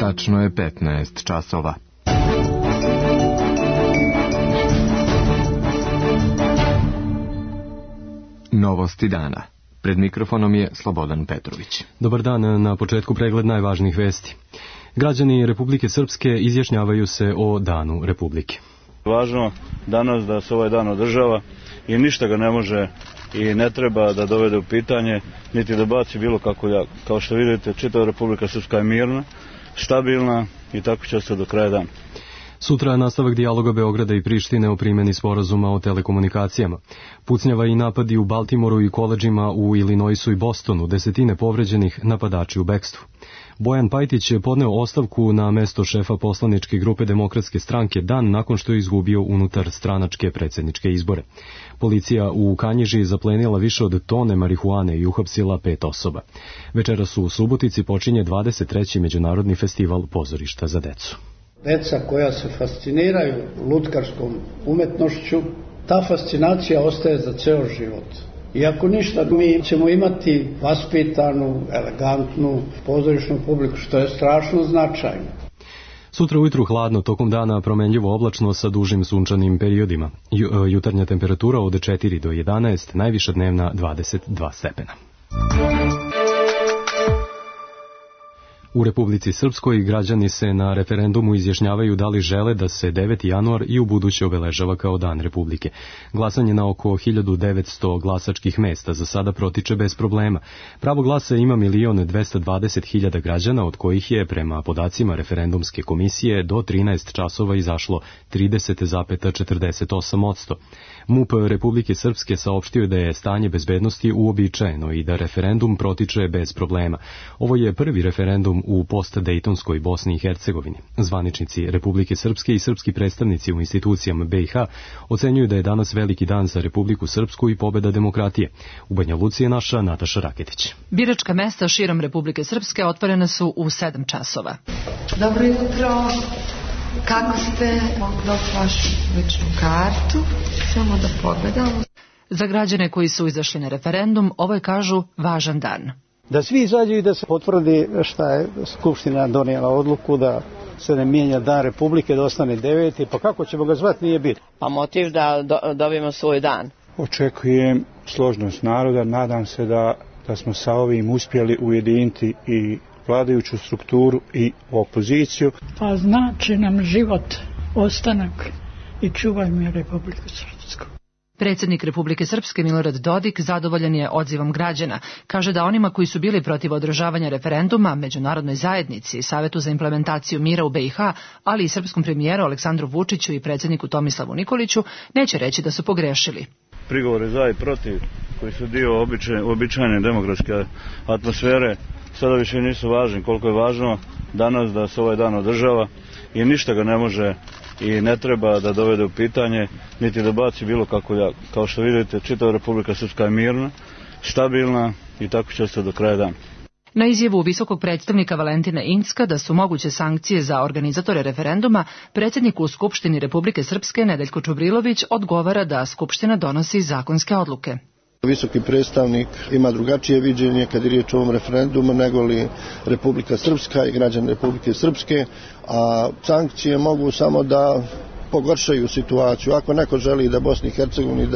Tačno je 15 časova. Novosti dana. Pred mikrofonom je Slobodan Petrović. Dobar dan, na početku pregled najvažnijih vesti. Građani Republike Srpske izjašnjavaju se o Danu Republike. Važno danas da se ovaj dan održava i ništa ga ne može i ne treba da dovede u pitanje, niti da baci bilo kako ljagu. Kao što vidite, čitava Republika Srpska je mirna, stabilna i tako će se do kraja dana. Sutra nastavak dijaloga Beograda i Prištine o primjeni sporazuma o telekomunikacijama. Pucnjava i napadi u Baltimoru i koledžima u Illinoisu i Bostonu, desetine povređenih, napadači u bekstvu. Bojan Pajtić je podneo ostavku na mesto šefa poslaničke grupe Demokratske stranke dan nakon što je izgubio unutar stranačke predsjedničke izbore. Policija u Kanjiži zaplenila više od tone marihuane i uhapsila 5 osoba. Večeras u Subotici počinje 23. Međunarodni festival pozorišta za decu. Deca koja se fasciniraju lutkarskom umetnošću, ta fascinacija ostaje za ceo život. Iako ništa, mi ćemo imati vaspitanu, elegantnu pozorišnu publiku, što je strašno značajno. Sutra ujutru hladno, tokom dana promenljivo oblačno sa dužim sunčanim periodima. Jutarnja temperatura od 4 do 11, najviša dnevna 22 stepena. U Republici Srpskoj građani se na referendumu izjašnjavaju da li žele da se 9. januar i u buduće obeležava kao Dan Republike. Glasanje na oko 1900 glasačkih mesta za sada protiče bez problema. Pravo glasa ima 1.220.000 građana, od kojih je, prema podacima referendumske komisije, do 13 časova izašlo 30,48%. MUP Republike Srpske saopštio da je stanje bezbednosti uobičajeno i da referendum protiče bez problema. Ovo je prvi referendum u post-Dejtonskoj Bosni i Hercegovini. Zvaničnici Republike Srpske i srpski predstavnici u institucijama BiH ocenjuju da je danas veliki dan za Republiku Srpsku i pobeda demokratije. U Banja Luci je naša Nataša Raketić. Biračka mesta širom Republike Srpske otvorena su u 7 časova. Dobro jutro. Kako ste? Mogu dobiti vašu ličnu kartu? Samo da pogledamo. Za građane koji su izašli na referendum, ovo je, kažu, važan dan. Da svi izađu i da se potvrdi šta je Skupština donijela odluku da se ne mijenja Dan Republike, da ostane 9. Pa kako ćemo ga zvati, nije bitno. Pa motiv da dobijemo svoj dan. Očekujem složnost naroda, nadam se da smo sa ovim uspjeli ujediniti i vladajuću strukturu i opoziciju. Pa znači nam život, ostanak i čuvajmo Republiku Srpsku. Predsjednik Republike Srpske Milorad Dodik zadovoljan je odzivom građana. Kaže da onima koji su bili protiv održavanja referenduma, međunarodnoj zajednici, Savetu za implementaciju mira u BiH, ali i srpskom premijeru Aleksandru Vučiću i predsjedniku Tomislavu Nikoliću, neće reći da su pogrešili. Prigovore za i protiv, koji su dio običajne demokratske atmosfere, sada više nisu važni. Koliko je važno danas da se ovaj dan održava i ništa ga ne može i ne treba da dovede u pitanje, niti da baci bilo kako ljagu. Kao što vidite, čitava Republika Srpska je mirna, stabilna i tako će se do kraja dana. Na izjavu visokog predstavnika Valentina Incka da su moguće sankcije za organizatore referenduma, predsjednik u Skupštini Republike Srpske Nedeljko Čubrilović odgovara da Skupština donosi zakonske odluke. Visoki predstavnik ima drugačije viđenje kad je riječ o ovom referendumu nego li Republika Srpska i građani Republike Srpske, a sankcije mogu samo da pogoršaju situaciju. Ako neko želi da Bosni i Hercegovini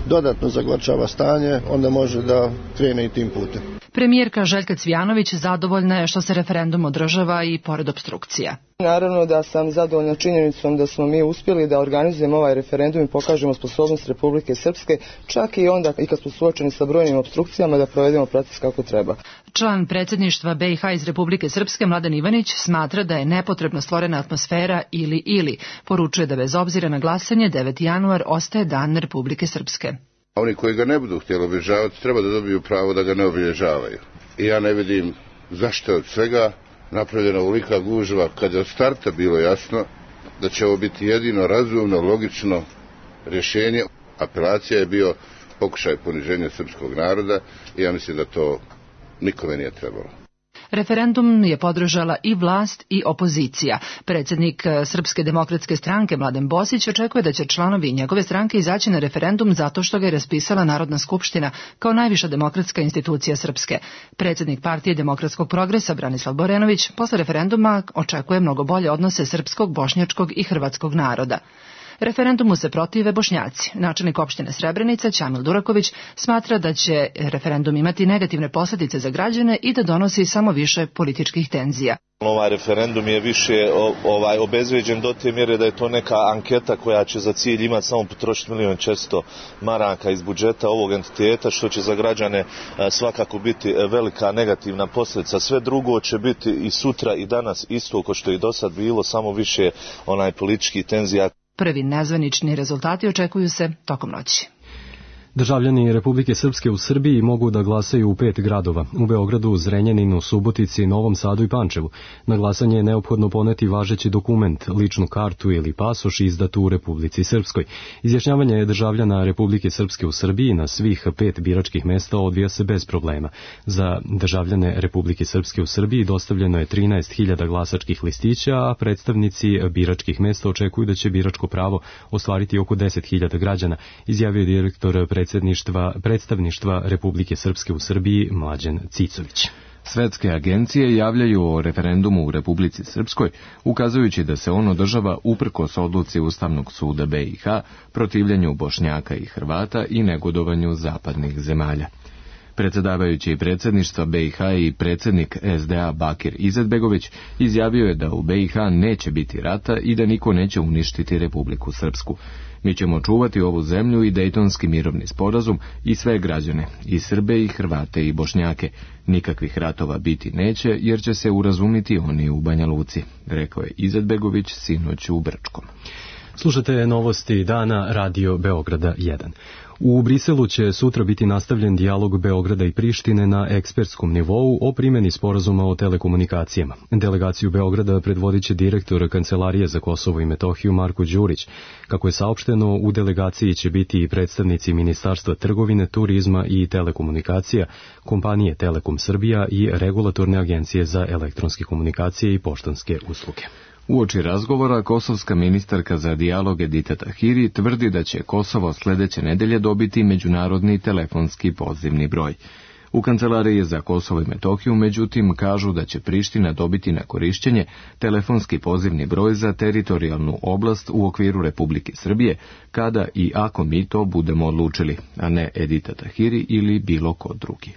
dodatno zagorčava stanje, onda može da krene i tim putem. Premijerka Željka Cvijanović zadovoljna je što se referendum održava i pored opstrukcija. Naravno da sam zadovoljna činjenicom da smo mi uspjeli da organizujemo ovaj referendum i pokažemo sposobnost Republike Srpske, čak i onda i kad smo suočeni sa brojnim opstrukcijama da provedemo proces kako treba. Član predsjedništva BiH iz Republike Srpske Mladen Ivanić smatra da je nepotrebno stvorena atmosfera ili. Poručuje da bez obzira na glasanje 9. januar ostaje Dan Republike Srpske. Oni koji ga ne budu htjeli obilježavati treba da dobiju pravo da ga ne obilježavaju. I ja ne vidim zašto od svega napravljena ovolika gužva kad je od starta bilo jasno da će ovo biti jedino razumno, logično rješenje. Apelacija je bio pokušaj poniženja srpskog naroda i ja mislim da to nikome nije trebalo. Referendum je podržala i vlast i opozicija. Predsjednik Srpske demokratske stranke Mladen Bosić očekuje da će članovi njegove stranke izaći na referendum zato što ga je raspisala Narodna skupština kao najviša demokratska institucija Srpske. Predsjednik Partije demokratskog progresa Branislav Borenović posle referenduma očekuje mnogo bolje odnose srpskog, bošnjačkog i hrvatskog naroda. Referendumu se protive Bošnjaci. Načelnik opštine Srebrenica Ćamil Duraković smatra da će referendum imati negativne posljedice za građane i da donosi samo više političkih tenzija. Ovaj referendum je više obezvrijeđen do te mjere da je to neka anketa koja će za cilj imati samo potrošiti 1.400.000 maraka iz budžeta ovog entiteta, što će za građane svakako biti velika negativna posljedica. Sve drugo će biti i sutra i danas isto kao što je i do sad bilo, samo više političkih tenzija. Prvi nezvanični rezultati očekuju se tokom noći. Državljani Republike Srpske u Srbiji mogu da glasaju u 5 gradova, u Beogradu, Zrenjaninu, Subotici, Novom Sadu i Pančevu. Na glasanje je neophodno poneti važeći dokument, ličnu kartu ili pasoš izdatu u Republici Srpskoj. Izjašnjavanje državljana Republike Srpske u Srbiji na svih 5 biračkih mesta odvija se bez problema. Za državljane Republike Srpske u Srbiji dostavljeno je 13.000 glasačkih listića, a predstavnici biračkih mesta očekuju da će biračko pravo ostvariti oko 10.000 građana, izjavio direktor predstavništva Republike Srpske u Srbiji Mlađan Cicović. Svetske agencije javljaju o referendumu u Republici Srpskoj, ukazujući da se on održava uprkos odluci Ustavnog suda BiH, protivljenju Bošnjaka i Hrvata i negodovanju zapadnih zemalja. Predsjedavajući predsjedništva BiH i predsjednik SDA Bakir Izetbegović izjavio je da u BiH neće biti rata i da niko neće uništiti Republiku Srpsku. Mi ćemo čuvati ovu zemlju i Dejtonski mirovni sporazum i sve građane, i Srbe i Hrvate i Bošnjake. Nikakvih ratova biti neće jer će se urazumiti oni u Banja Luci, rekao je Izetbegović sinoć u Brčkom. Slušate novosti dana Radio Beograda 1. U Briselu će sutra biti nastavljen dijalog Beograda i Prištine na ekspertskom nivou o primjeni sporazuma o telekomunikacijama. Delegaciju Beograda predvodit će direktor Kancelarije za Kosovo i Metohiju Marko Đurić. Kako je saopšteno, u delegaciji će biti i predstavnici Ministarstva trgovine, turizma i telekomunikacija, kompanije Telekom Srbija i Regulatorne agencije za elektronske komunikacije i poštanske usluge. Uoči razgovora, kosovska ministarka za dijalog Edita Tahiri tvrdi da će Kosovo sljedeće nedelje dobiti međunarodni telefonski pozivni broj. U Kancelariji za Kosovo i Metohiju, međutim, kažu da će Priština dobiti na korišćenje telefonski pozivni broj za teritorijalnu oblast u okviru Republike Srbije, kada i ako mi to budemo odlučili, a ne Edita Tahiri ili bilo ko drugi.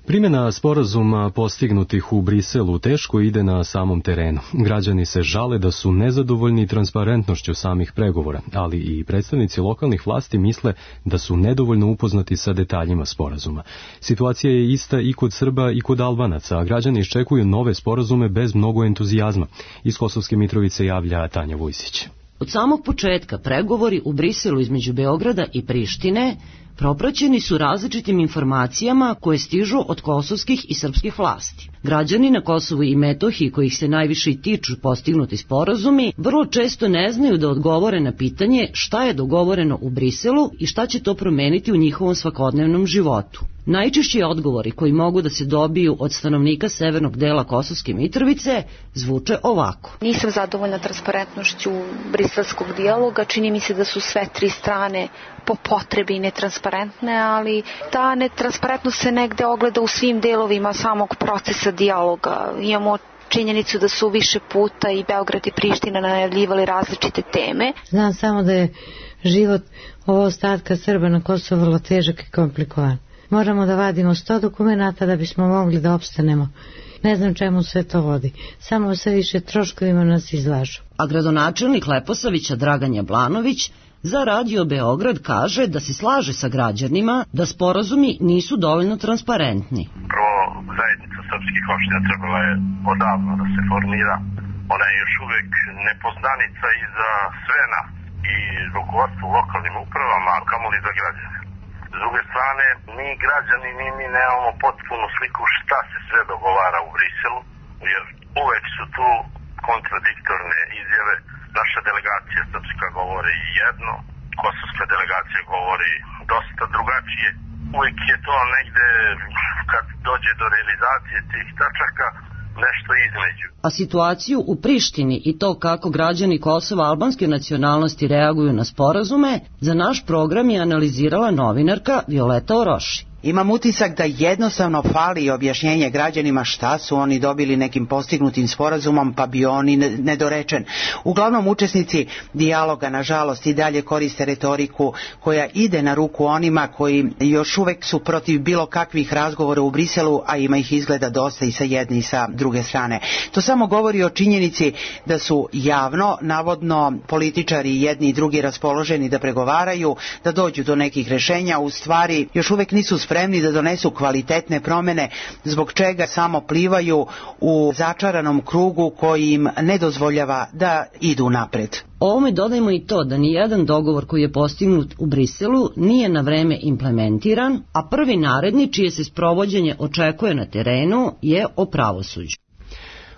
Primjena sporazuma postignutih u Briselu teško ide na samom terenu. Građani se žale da su nezadovoljni transparentnošću samih pregovora, ali i predstavnici lokalnih vlasti misle da su nedovoljno upoznati sa detaljima sporazuma. Situacija je ista i kod Srba i kod Albanaca, a građani iščekuju nove sporazume bez mnogo entuzijazma. Iz Kosovske Mitrovice javlja Tanja Vujsić. Od samog početka pregovori u Briselu između Beograda i Prištine propraćeni su različitim informacijama koje stižu od kosovskih i srpskih vlasti. Građani na Kosovu i Metohiji, kojih se najviše i tiču postignuti sporazumi, vrlo često ne znaju da odgovore na pitanje šta je dogovoreno u Briselu i šta će to promeniti u njihovom svakodnevnom životu. Najčešći odgovori koji mogu da se dobiju od stanovnika severnog dela Kosovske Mitrovice zvuče ovako. Nisam zadovoljna transparentnošću briselskog dijaloga, čini mi se da su sve tri strane po potrebi netransparentne, ali ta netransparentnost se negde ogleda u svim delovima samog procesa dijaloga. Imamo činjenicu da su više puta i Beograd i Priština najavljivali različite teme. Znam samo da je život ovo ostatka Srba na Kosovu vrlo težak i komplikovan. Moramo da vadimo 100 dokumenata da bismo mogli da opstanemo. Ne znam čemu sve to vodi. Samo sve više troškovima nas izlažu. A gradonačelnik Leposavića Dragan Jablanović za Radio Beograd kaže da se slaže sa građanima da sporazumi nisu dovoljno transparentni. Prvo, zajednica srpskih opština trebala je odavno da se formira. Ona je još uvek nepoznanica i za sve nas, i rukovodstvo u lokalnim upravama, a kamoli za građane. S druge strane, mi građani, mi nemamo potpunu sliku šta se sve dogovara u Briselu, jer uvek su tu kontradiktorne izjave. Naša delegacija srpska govori jedno, kosovska delegacija govori dosta drugačije. uvijek je to negde, kad dođe do realizacije tih tačaka, nešto između. A situaciju u Prištini i to kako građani Kosova albanske nacionalnosti reaguju na sporazume, za naš program je analizirala novinarka Violeta Oroši. Imam utisak da jednostavno fali objašnjenje građanima šta su oni dobili nekim postignutim sporazumom, pa bi oni nedorečen. Uglavnom učesnici dijaloga, nažalost, i dalje koriste retoriku koja ide na ruku onima koji još uvek su protiv bilo kakvih razgovora u Briselu, a ima ih izgleda dosta i sa jedne i sa druge strane. To samo govori o činjenici da su javno, navodno, političari jedni i drugi raspoloženi da pregovaraju, da dođu do nekih rešenja, u stvari još uvek nisu spremni da donesu kvalitetne promene, zbog čega samo plivaju u začaranom krugu koji im ne dozvoljava da idu napred. Ovome dodajmo i to da nijedan dogovor koji je postignut u Briselu nije na vreme implementiran, a prvi naredni čije se sprovođenje očekuje na terenu je o pravosuđu.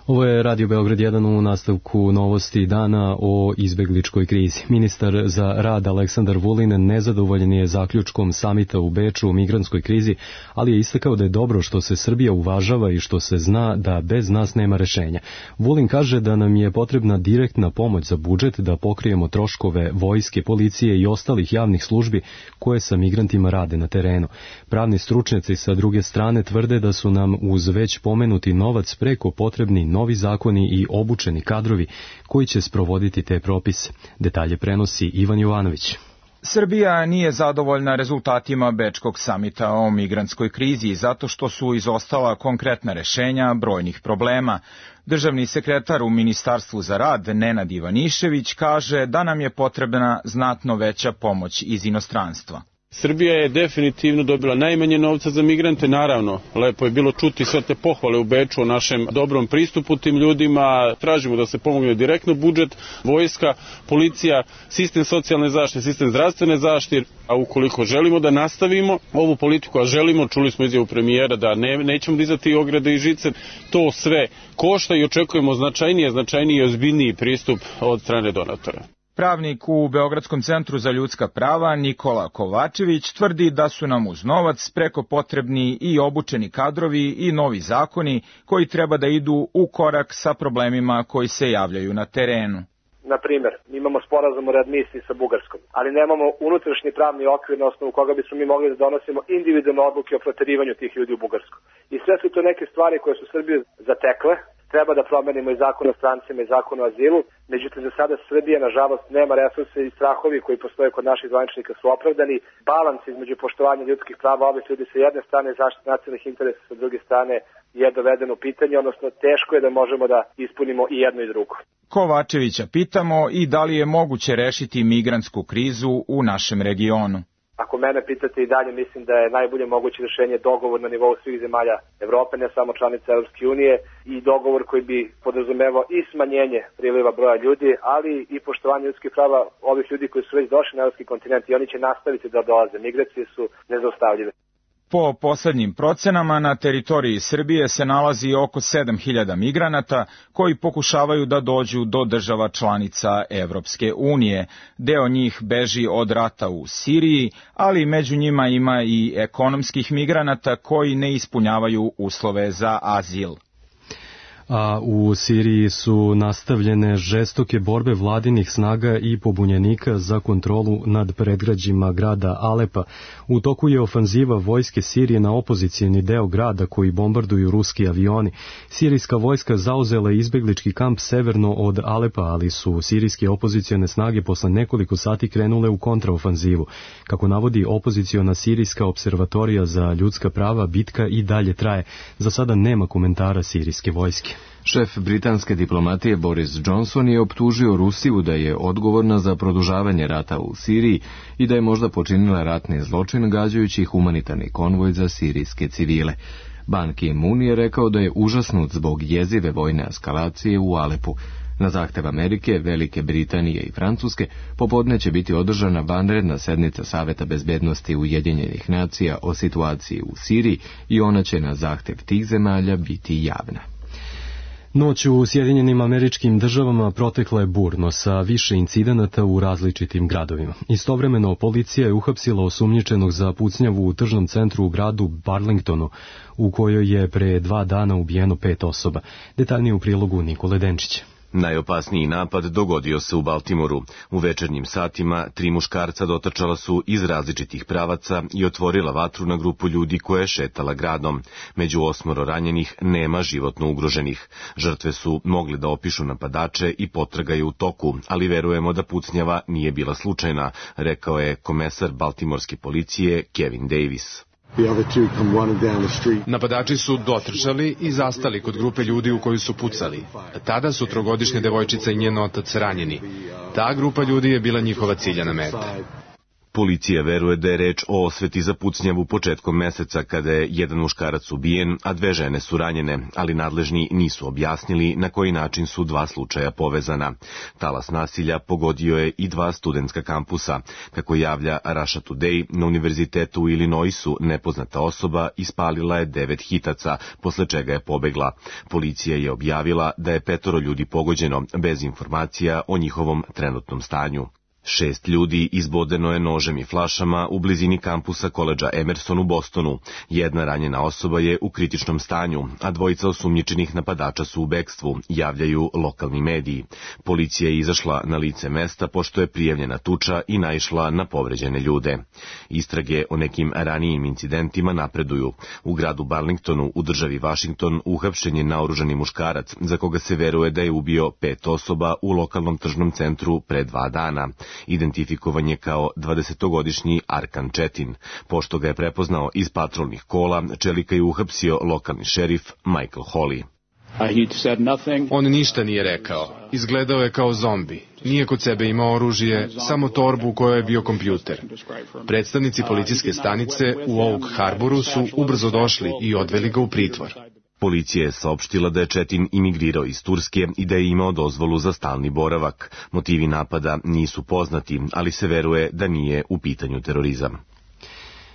Ovo je Radio Beograd 1 u nastavku novosti dana o izbegličkoj krizi. Ministar za rad Aleksandar Vulin nezadovoljen je zaključkom samita u Beču o migrantskoj krizi, ali je istakao da je dobro što se Srbija uvažava i što se zna da bez nas nema rešenja. Vulin kaže da nam je potrebna direktna pomoć za budžet da pokrijemo troškove vojske, policije i ostalih javnih službi koje sa migrantima rade na terenu. Pravni stručnjaci sa druge strane tvrde da su nam uz već pomenuti novac preko potrebni novi zakoni i obučeni kadrovi koji će sprovoditi te propise. Detalje prenosi Ivan Jovanović. Srbija nije zadovoljna rezultatima Bečkog samita o migrantskoj krizi zato što su izostala konkretna rešenja brojnih problema. Državni sekretar u Ministarstvu za rad Nenad Ivanišević kaže da nam je potrebna znatno veća pomoć iz inostranstva. Srbija je definitivno dobila najmanje novca za migrante, naravno, lepo je bilo čuti sve te pohvale u Beču o našem dobrom pristupu tim ljudima, tražimo da se pomogne direktno budžet, vojska, policija, sistem socijalne zaštite, sistem zdravstvene zaštite, a ukoliko želimo da nastavimo ovu politiku, a želimo, čuli smo izjavu premijera da nećemo dizati ograde i žice, to sve košta i očekujemo značajniji i ozbiljniji pristup od strane donatora. Pravnik u Beogradskom centru za ljudska prava Nikola Kovačević tvrdi da su nam uz novac preko potrebni i obučeni kadrovi i novi zakoni koji treba da idu u korak sa problemima koji se javljaju na terenu. Na primjer, imamo sporazum o readmisiji sa Bugarskom, ali nemamo unutrašnji pravni okvir na osnovu koga bismo mi mogli da donosimo individualne odluke o proterivanju tih ljudi u Bugarsku. I sve su to neke stvari koje su Srbiju zatekle. Treba da promenimo i zakon o strancima i zakon o azilu, međutim za sada Srbija nažalost nema resurse i strahovi koji postoje kod naših zvaničnika su opravdani. Balans između poštovanja ljudskih prava ovih ljudi sa jedne strane i zaštite nacionalnih interesa sa druge strane je dovedeno u pitanje, odnosno teško je da možemo da ispunimo i jedno i drugo. Kovačevića pitamo i da li je moguće rešiti migrantsku krizu u našem regionu. Ako mene pitate i dalje, mislim da je najbolje moguće rešenje dogovor na nivou svih zemalja Evrope, ne samo članica Evropske unije, i dogovor koji bi podrazumevao i smanjenje priliva broja ljudi, ali i poštovanje ljudskih prava ovih ljudi koji su već došli na evropski kontinent i oni će nastaviti da dolaze. Migracije su nezaustavljive. Po poslednjim procenama na teritoriji Srbije se nalazi oko 7.000 migranata koji pokušavaju da dođu do država članica Evropske unije. Deo njih beži od rata u Siriji, ali među njima ima i ekonomskih migranata koji ne ispunjavaju uslove za azil. A u Siriji su nastavljene žestoke borbe vladinih snaga i pobunjenika za kontrolu nad predgrađima grada Alepa. U toku je ofanziva vojske Sirije na opozicijni deo grada koji bombarduju ruski avioni. Sirijska vojska zauzela izbeglički kamp severno od Alepa, ali su sirijske opozicijone snage posle nekoliko sati krenule u kontraofanzivu. Kako navodi opoziciona sirijska observatorija za ljudska prava, bitka i dalje traje. Za sada nema komentara sirijske vojske. Šef britanske diplomatije Boris Johnson je optužio Rusiju da je odgovorna za produžavanje rata u Siriji i da je možda počinila ratni zločin gađajući humanitarni konvoj za sirijske civile. Ban Ki-moon je rekao da je užasnut zbog jezive vojne eskalacije u Alepu. Na zahtev Amerike, Velike Britanije i Francuske popodne će biti održana vanredna sednica Saveta bezbednosti Ujedinjenih nacija o situaciji u Siriji i ona će na zahtev tih zemalja biti javna. Noć u Sjedinjenim Američkim Državama protekla je burno sa više incidenata u različitim gradovima. Istovremeno policija je uhapsila osumnjičenog za pucnjavu u tržnom centru u gradu Burlingtonu, u kojoj je pre 2 dana ubijeno 5 osoba. Detaljnije u prilogu Nikole Denčića. Najopasniji napad dogodio se u Baltimoru. U večernjim satima 3 muškarca dotrčala su iz različitih pravaca i otvorila vatru na grupu ljudi koja je šetala gradom. Među 8 ranjenih nema životno ugroženih. Žrtve su mogli da opišu napadače i potraga je u toku, ali verujemo da pucnjava nije bila slučajna, rekao je komesar baltimorske policije Kevin Davis. Napadači su dotrčali i zastali kod grupe ljudi u koju su pucali. Tada su 3-godišnja devojčica i njen otac ranjeni. Ta grupa ljudi je bila njihova ciljana meta. Policija veruje da je reč o osveti za pucnjavu početkom meseca kada je jedan muškarac ubijen, a 2 žene su ranjene, ali nadležni nisu objasnili na koji način su 2 slučaja povezana. Talas nasilja pogodio je i 2 studentska kampusa. Kako javlja Russia Today, na univerzitetu u Illinoisu nepoznata osoba ispalila je 9 hitaca, posle čega je pobegla. Policija je objavila da je 5 ljudi pogođeno, bez informacija o njihovom trenutnom stanju. 6 ljudi izbodeno je nožem i flašama u blizini kampusa koledža Emerson u Bostonu. 1 ranjena osoba je u kritičnom stanju, a 2 osumnjičenih napadača su u bekstvu, javljaju lokalni mediji. Policija je izašla na lice mesta pošto je prijavljena tuča i naišla na povređene ljude. Istrage o nekim ranijim incidentima napreduju. U gradu Burlingtonu u državi Washington uhapšen je naoružani muškarac za koga se veruje da je ubio 5 osoba u lokalnom tržnom centru pre 2 dana. Identifikovan je kao 20-godišnji Arkan Četin. Pošto ga je prepoznao iz patrolnih kola, čelika je uhapsio lokalni šerif Michael Hawley. On ništa nije rekao. Izgledao je kao zombi. Nije kod sebe imao oružje, samo torbu u kojoj je bio kompjuter. Predstavnici policijske stanice u Oak Harboru su ubrzo došli i odveli ga u pritvor. Policija je saopštila da je Četin imigrirao iz Turske i da je imao dozvolu za stalni boravak. Motivi napada nisu poznati, ali se veruje da nije u pitanju terorizam.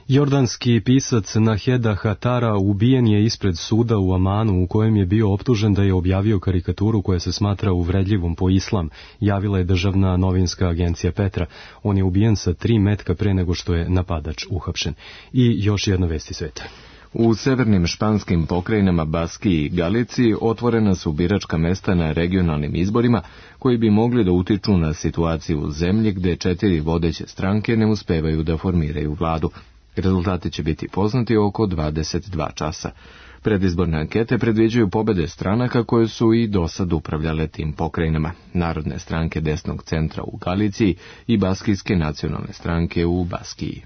Jordanski pisac Naheda Hatara ubijen je ispred suda u Amanu u kojem je bio optužen da je objavio karikaturu koja se smatra uvredljivom po islam, javila je državna novinska agencija Petra. On je ubijen sa 3 metka pre nego što je napadač uhapšen. I još jedna vesti sveta. U severnim španskim pokrajinama Baskiji i Galiciji otvorena su biračka mesta na regionalnim izborima koji bi mogli da utiču na situaciju u zemlji gde 4 vodeće stranke ne uspevaju da formiraju vladu. Rezultati će biti poznati oko 22 časa. Predizborne ankete predviđaju pobede stranaka koje su i dosad upravljale tim pokrajinama. Narodne stranke desnog centra u Galiciji i Baskijske nacionalne stranke u Baskiji.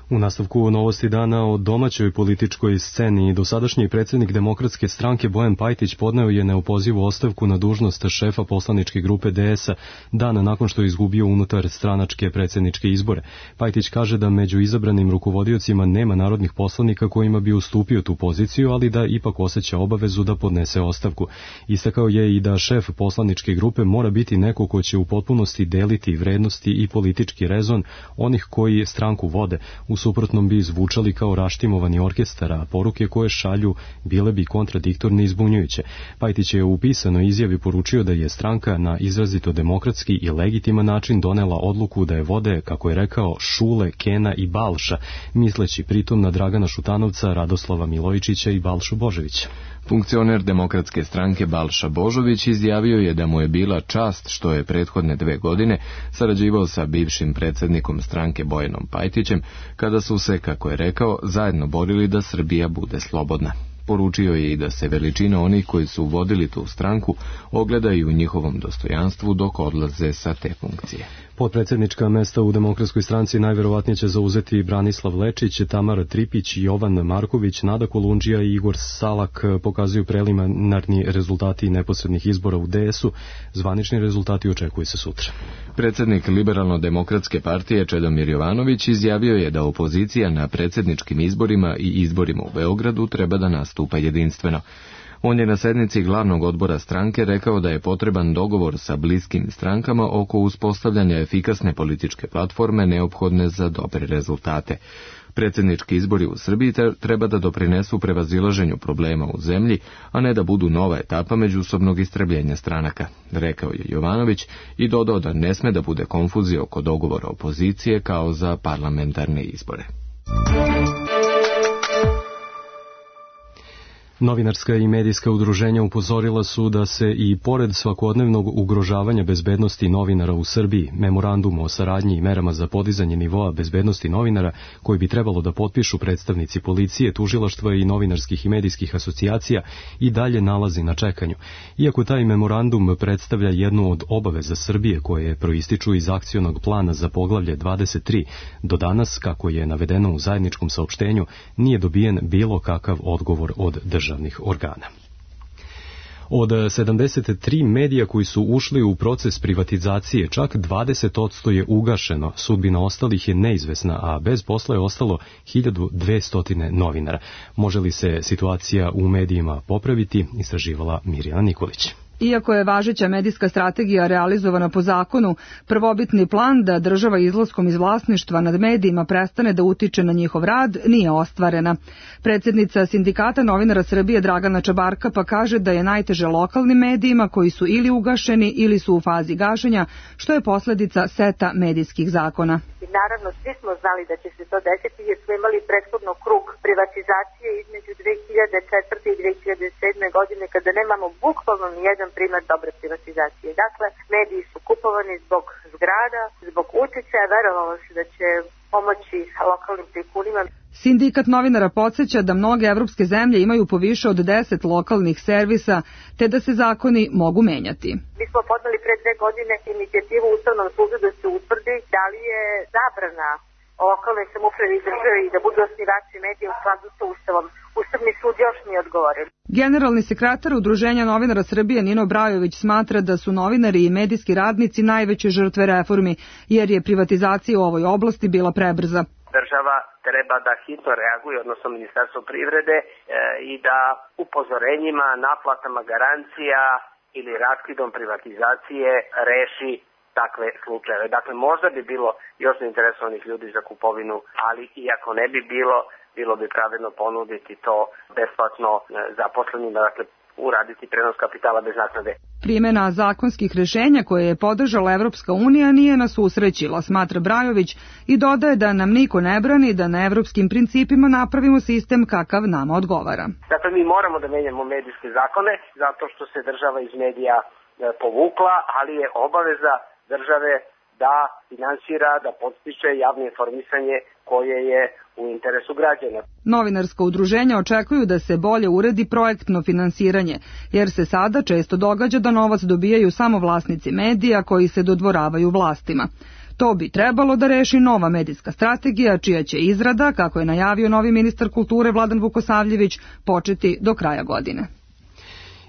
U nastavku novosti dana o domaćoj političkoj sceni, dosadašnji predsjednik Demokratske stranke Bojan Pajtić podneo je neopozivu ostavku na dužnost šefa poslaničke grupe DS-a dan nakon što je izgubio unutar stranačke predsjedničke izbore. Pajtić kaže da među izabranim rukovodiocima nema narodnih poslanika kojima bi ustupio tu poziciju, ali da ipak osjeća obavezu da podnese ostavku. Istakao je i da šef poslaničke grupe mora biti neko ko će u potpunosti deliti vrednosti i politički rezon onih koji stranku vode. U suprotnom bi zvučali kao raštimovani orkestar, a poruke koje šalju bile bi kontradiktorne i zbunjujuće. Pajtić je u pisanoj izjavi poručio da je stranka na izrazito demokratski i legitiman način donela odluku da je vode, kako je rekao, Šule, Kena i Balša, misleći pritom na Dragana Šutanovca, Radoslava Milojičića i Balšu Božovića. Funkcioner Demokratske stranke Balša Božović izjavio je da mu je bila čast što je prethodne 2 godine sarađivao sa bivšim predsjednikom stranke Bojanom Pajtićem, kada su se, kako je rekao, zajedno borili da Srbija bude slobodna. Poručio je i da se veličina onih koji su vodili tu stranku ogleda i u njihovom dostojanstvu dok odlaze sa te funkcije. Potpredsjednička mesta u Demokratskoj stranci najverovatnije će zauzeti Branislav Lečić, Tamara Tripić, Jovan Marković, Nada Kolundžija i Igor Salak, pokazuju preliminarni rezultati neposrednih izbora u DS-u. Zvanični rezultati očekuju se sutra. Predsjednik Liberalno-demokratske partije Čedomir Jovanović izjavio je da opozicija na predsjedničkim izborima i izborima u Beogradu treba da nastupa jedinstveno. On je na sednici glavnog odbora stranke rekao da je potreban dogovor sa bliskim strankama oko uspostavljanja efikasne političke platforme neophodne za dobre rezultate. Predsjednički izbori u Srbiji treba da doprinesu prevazilaženju problema u zemlji, a ne da budu nova etapa međusobnog istrebljenja stranaka, rekao je Jovanović i dodao da ne sme da bude konfuzije oko dogovora opozicije kao za parlamentarne izbore. Novinarska i medijska udruženja upozorila su da se i pored svakodnevnog ugrožavanja bezbednosti novinara u Srbiji, memorandum o saradnji i merama za podizanje nivoa bezbednosti novinara, koji bi trebalo da potpišu predstavnici policije, tužilaštva i novinarskih i medijskih asocijacija, i dalje nalazi na čekanju. Iako taj memorandum predstavlja jednu od obaveza Srbije koje proističu iz akcionog plana za poglavlje 23, do danas, kako je navedeno u zajedničkom saopštenju, nije dobijen bilo kakav odgovor od državnih organa. Od 73 medija koji su ušli u proces privatizacije, čak 20% je ugašeno, sudbina ostalih je neizvesna, a bez posla je ostalo 1200 novinara. Može li se situacija u medijima popraviti, istraživala Mirjana Nikolić. Iako je važeća medijska strategija realizovana po zakonu, prvobitni plan da država izlaskom iz vlasništva nad medijima prestane da utiče na njihov rad nije ostvarena. Predsjednica Sindikata novinara Srbije Dragana Čabarka pa kaže da je najteže lokalnim medijima koji su ili ugašeni ili su u fazi gašenja, što je posljedica seta medijskih zakona. Naravno, svi smo znali da će se to desiti jer smo imali prethodno krug privatizacije između 2004. i 2007. godine kada nemamo bukvalno nijedan primer dobre privatizacije. Dakle, mediji su kupovani zbog zgrada, zbog uticaja, verovalo se da će pomoći lokalnim tajkunima. Sindikat novinara podsjeća da mnoge evropske zemlje imaju po više od 10 lokalnih servisa, te da se zakoni mogu menjati. Mi smo podneli pre 2 godine inicijativu Ustavnom sudu da se utvrdi da li je zabrana lokalnoj samoupravi i državi i da budu osnivači medija u skladu sa Ustavom. Ustavni sud još nije odgovorio. Generalni sekretar Udruženja novinara Srbije Nino Brajović smatra da su novinari i medijski radnici najveće žrtve reformi, jer je privatizacija u ovoj oblasti bila prebrza. Država treba da hitno reaguje, odnosno Ministarstvo privrede, i da upozorenjima, naplatama garancija ili raskidom privatizacije reši takve slučajeve. Dakle, možda bi bilo još zainteresovanih ljudi za kupovinu, ali i ako ne bi bilo bi pravedno ponuditi to besplatno zaposlenima, dakle uraditi prenos kapitala bez naknade. Primjena zakonskih rješenja koje je podržala Evropska unija nije nas usrećila, smatra Brajović, i dodaje da nam niko ne brani da na evropskim principima napravimo sistem kakav nama odgovara. Dakle, mi moramo da menjamo medijske zakone zato što se država iz medija povukla, ali je obaveza države da finansira, da podstiče javno informisanje koje je u interesu građana. Novinarska udruženja očekuju da se bolje uredi projektno finansiranje, jer se sada često događa da novac dobijaju samo vlasnici medija koji se dodvoravaju vlastima. To bi trebalo da reši nova medijska strategija, čija će izrada, kako je najavio novi ministar kulture Vladan Vukosavljević, početi do kraja godine.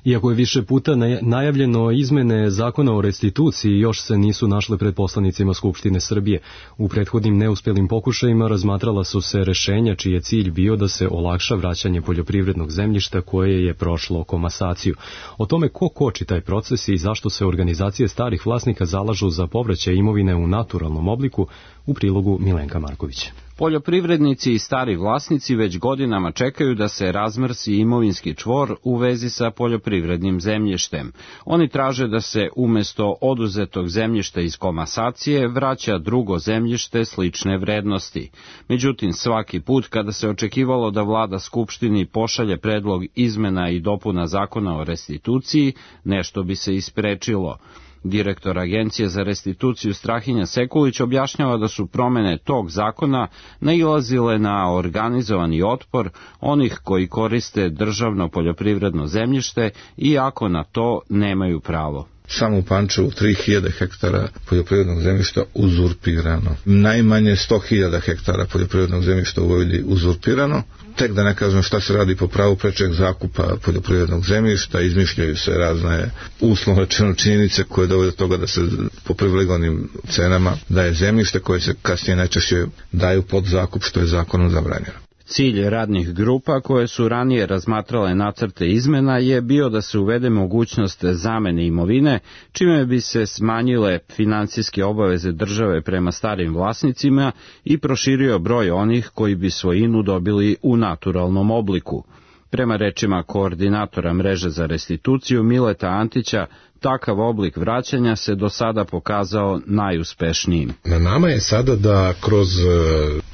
Iako je više puta najavljeno izmene zakona o restituciji, još se nisu našle pred poslanicima Skupštine Srbije. U prethodnim neuspjelim pokušajima razmatrala su se rešenja čiji je cilj bio da se olakša vraćanje poljoprivrednog zemljišta koje je prošlo komasaciju. O tome ko koči taj proces i zašto se organizacije starih vlasnika zalažu za povraćaj imovine u naturalnom obliku, u prilogu Milenka Marković. Poljoprivrednici i stari vlasnici već godinama čekaju da se razmrsi imovinski čvor u vezi sa poljoprivrednim zemljištem. Oni traže da se umjesto oduzetog zemljišta iz komasacije vraća drugo zemljište slične vrednosti. Međutim, svaki put kada se očekivalo da vlada Skupštini pošalje predlog izmena i dopuna zakona o restituciji, nešto bi se isprečilo. Direktor Agencije za restituciju Strahinja Sekulić objašnjava da su promene tog zakona nailazile na organizovani otpor onih koji koriste državno poljoprivredno zemljište iako na to nemaju pravo. Samo u Pančevu 3000 hektara poljoprivrednog zemljišta uzurpirano. Najmanje 100.000 hektara poljoprivrednog zemljišta u Vojvodini uzurpirano. Tek da ne kažem šta se radi po pravu prečeg zakupa poljoprivrednog zemljišta, izmišljaju se razne uslovno rečeno činjenice koje dovode do toga da se po privilegovanim cenama daje zemljište koje se kasnije najčešće daju pod zakup što je zakonom zabranjeno. Cilj radnih grupa koje su ranije razmatrale nacrte izmena je bio da se uvede mogućnost zamene imovine, čime bi se smanjile financijske obaveze države prema starim vlasnicima i proširio broj onih koji bi svojinu dobili u naturalnom obliku. Prema rečima koordinatora mreže za restituciju Mileta Antića, takav oblik vraćanja se do sada pokazao najuspešnijim. Na nama je sada da kroz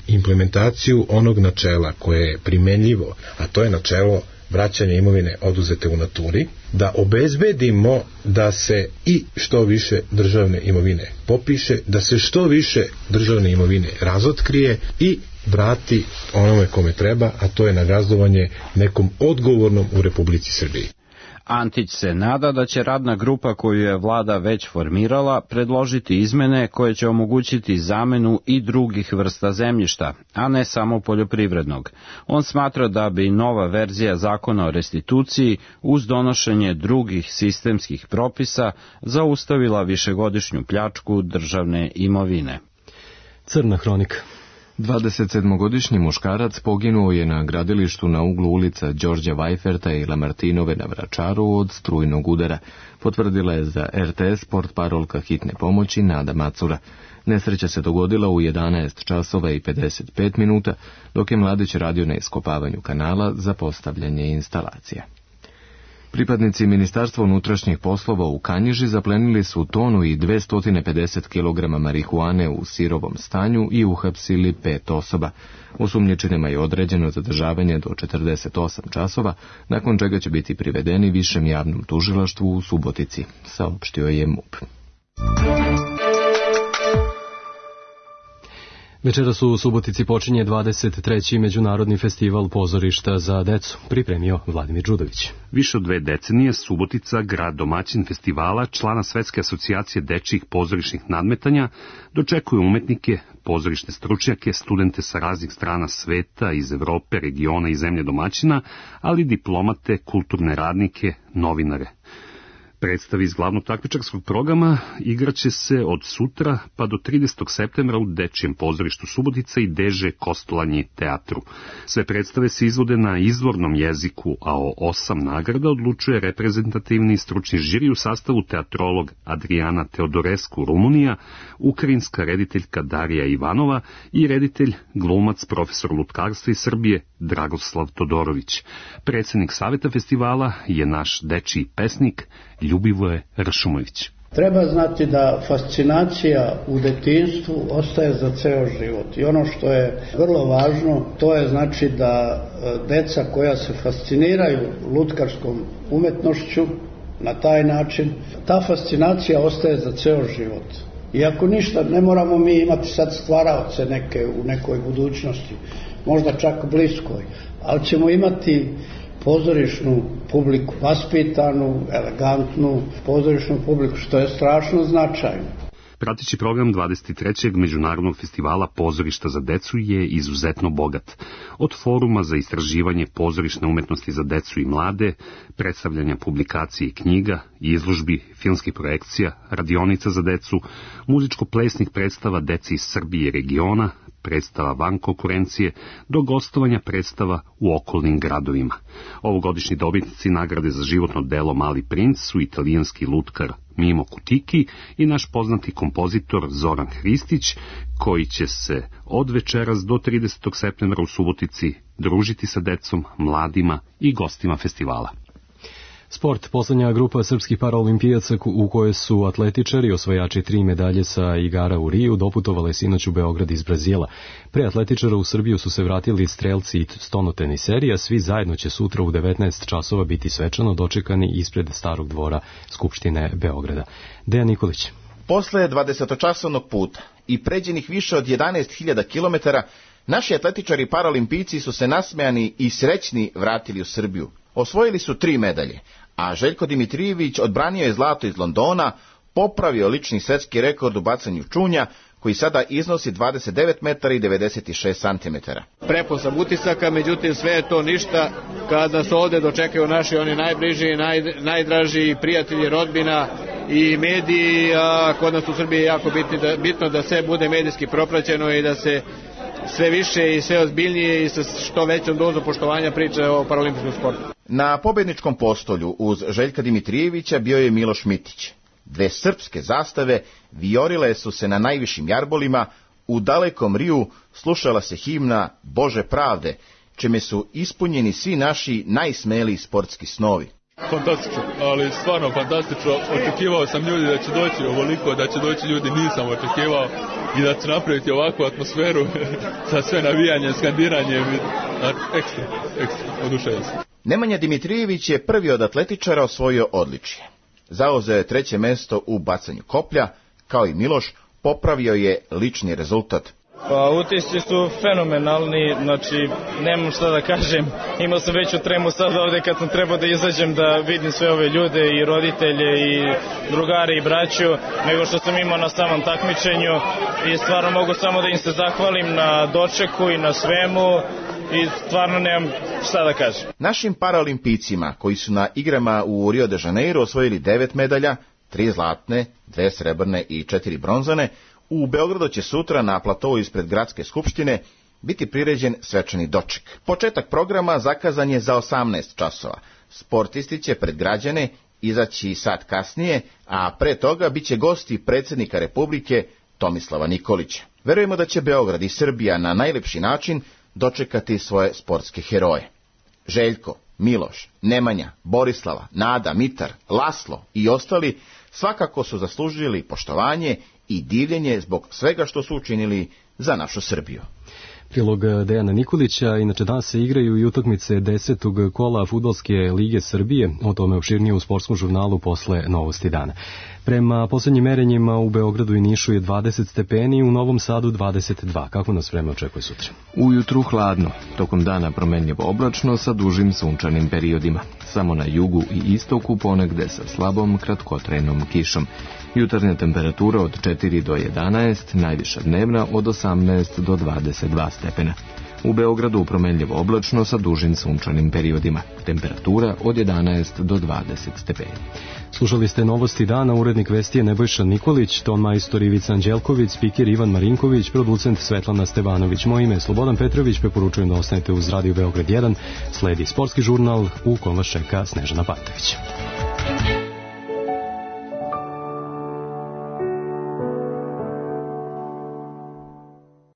implementaciju onog načela koje je primenljivo, a to je načelo vraćanja imovine oduzete u naturi, da obezbedimo da se i što više državne imovine popiše, da se što više državne imovine razotkrije i vrati onome kome treba, a to je nagazdovanje nekom odgovornom u Republici Srbiji. Antić se nada da će radna grupa koju je vlada već formirala predložiti izmene koje će omogućiti zamenu i drugih vrsta zemljišta, a ne samo poljoprivrednog. On smatra da bi nova verzija zakona o restituciji uz donošenje drugih sistemskih propisa zaustavila višegodišnju pljačku državne imovine. Crna hronika. 27-godišnji muškarac poginuo je na gradilištu na uglu ulica Đorđa Vajferta i Lamartinove na Vračaru od strujnog udara, potvrdila je za RTS portparolka hitne pomoći Nada Macura. Nesreća se dogodila u 11 časova i 55 minuta, dok je mladić radio na iskopavanju kanala za postavljanje instalacija. Pripadnici Ministarstva unutrašnjih poslova u Kanjiži zaplenili su tonu i 250 kg marihuane u sirovom stanju i uhapsili 5 osoba. Osumnjičenima je određeno zadržavanje do 48 časova, nakon čega će biti privedeni višem javnom tužilaštvu u Subotici, saopštio je MUP. Večeras u Subotici počinje 23. Međunarodni festival pozorišta za decu, pripremio Vladimir Đudović. Više od 2 decenije Subotica, grad domaćin festivala, člana Svetske asocijacije dečijih pozorišnih nadmetanja, dočekuje umetnike, pozorišne stručnjake, studente sa raznih strana sveta, iz Evrope, regiona i zemlje domaćina, ali diplomate, kulturne radnike, novinare. Predstavi iz glavnog takmičarskog programa igraće se od sutra pa do 30. septembra u Dečijem pozorištu Subotica i Deže Kostolanji teatru. Sve predstave se izvode na izvornom jeziku, a o 8 nagrada odlučuje reprezentativni stručni žiri u sastavu teatrolog Adriana Teodorescu Rumunija, ukrajinska rediteljka Darija Ivanova i reditelj glumac profesor lutkarstva iz Srbije Dragoslav Todorović. Predsjednik saveta festivala je naš dečiji pesnik Ljubivoje Ršumović. Treba znati da fascinacija u detinjstvu ostaje za ceo život i ono što je vrlo važno, to je znači da deca koja se fasciniraju lutkarskom umetnošću na taj način, ta fascinacija ostaje za ceo život. I ako ništa, ne moramo mi imati sad stvaraoce neke u nekoj budućnosti, možda čak bliskoj, ali ćemo imati pozorišnu publiku, vaspitanu, elegantnu pozorišnu publiku, što je strašno značajno. Prateći program 23. Međunarodnog festivala pozorišta za decu je izuzetno bogat. Od foruma za istraživanje pozorišne umetnosti za decu i mlade, predstavljanja publikacije i knjiga, izložbi, filmskih projekcija, radionica za decu, muzičko-plesnih predstava deci iz Srbije i regiona, predstava van konkurencije, do gostovanja predstava u okolnim gradovima. Ovogodišnji dobitnici nagrade za životno delo Mali princ su italijanski lutkar Mimo Kutiki i naš poznati kompozitor Zoran Hristić, koji će se od večeras do 30. septembra u Subotici družiti sa decom, mladima i gostima festivala. Sport. Poslednja grupa srpskih paraolimpijaca u kojoj su atletičari, osvajači 3 medalje sa igara u Riju, doputovale sinoć u Beograd iz Brazila. Pre atletičara u Srbiju su se vratili strelci i stonoteniseri, a svi zajedno će sutra u 19 časova biti svečano dočekani ispred Starog dvora Skupštine Beograda. Dejan Nikolić. Posle 20-časovnog puta i pređenih više od 11.000 km, naši atletičari paraolimpijci su se nasmejani i srećni vratili u Srbiju. Osvojili su 3 medalje, a Željko Dimitrijević odbranio je zlato iz Londona, popravio lični svetski rekord u bacanju čunja, koji sada iznosi 29 metara i 96 centimetara. Prepun sam utisaka, međutim sve je to ništa kada se ovde dočekaju naši oni najbliži, najdraži prijatelji, rodbina i mediji, a kod nas u Srbiji je jako bitno da sve bude medijski propraćeno i da se sve više i sve ozbiljnije i sa što većom dozom poštovanja priče o paralimpijskom sportu. Na pobedničkom postolju uz Željka Dimitrijevića bio je Miloš Mitić. Dve srpske zastave vijorile su se na najvišim jarbolima, u dalekom Riju slušala se himna Bože pravde, čime su ispunjeni svi naši najsmeliji sportski snovi. Fantastično, ali stvarno fantastično. Očekivao sam ljudi da će doći ovoliko, da će doći ljudi, nisam očekivao, i da će napraviti ovakvu atmosferu sa sve navijanjem, skandiranjem. Ekstra, oduševio sam. Nemanja Dimitrijević je prvi od atletičara osvojio odličje. Zauzeo je 3. mesto u bacanju koplja, kao i Miloš, popravio je lični rezultat. Pa utisci su fenomenalni, znači nemam šta da kažem, imao sam veću tremu sad ovde kad sam trebao da izađem da vidim sve ove ljude i roditelje i drugare i braću, nego što sam imao na samom takmičenju i stvarno mogu samo da im se zahvalim na dočeku i na svemu i stvarno nemam šta da kažem. Našim paraolimpijcima koji su na igrama u Rio de Janeiro osvojili 9 medalja, 3 zlatne, 2 srebrne i 4 bronzane, u Beogradu će sutra na platovu ispred Gradske skupštine biti priređen svečani doček. Početak programa zakazan je za 18 časova. Sportisti će pred građane izaći sat kasnije, a pre toga biće gosti predsjednika Republike Tomislava Nikolića. Verujemo da će Beograd i Srbija na najlepši način dočekati svoje sportske heroje. Željko, Miloš, Nemanja, Borislava, Nada, Mitar, Laslo i ostali svakako su zaslužili poštovanje i divljenje zbog svega što su učinili za našu Srbiju. Prilog Dejana Nikolića. Inače danas se igraju i utakmice 10. kola Fudbalske lige Srbije, o tome opširnije u sportskom žurnalu posle Novosti dana. Prema poslednjim merenjima u Beogradu i Nišu je 20 stepeni, u Novom Sadu 22. Kako nas vreme očekuje sutra? Ujutru hladno, tokom dana promenljivo oblačno sa dužim sunčanim periodima. Samo na jugu i istoku ponegde sa slabom kratkotrenom kišom. Jutarnja temperatura od 4 do 11, najviša dnevna od 18 do 22 stepena. U Beogradu promenljivo oblačno sa dužim sunčanim periodima. Temperatura od 11 do 20 stepeni. Slušali ste Novosti dana, urednik vesti je Nebojša Nikolić, ton majstor Ivica Anđelković, spiker Ivan Marinković, producent Svetlana Stevanović. Moje ime je Slobodan Petrović, preporučujem da ostanete uz Radio Beograd 1. Sledi sportski žurnal u kom vas čeka Snežana Pantović.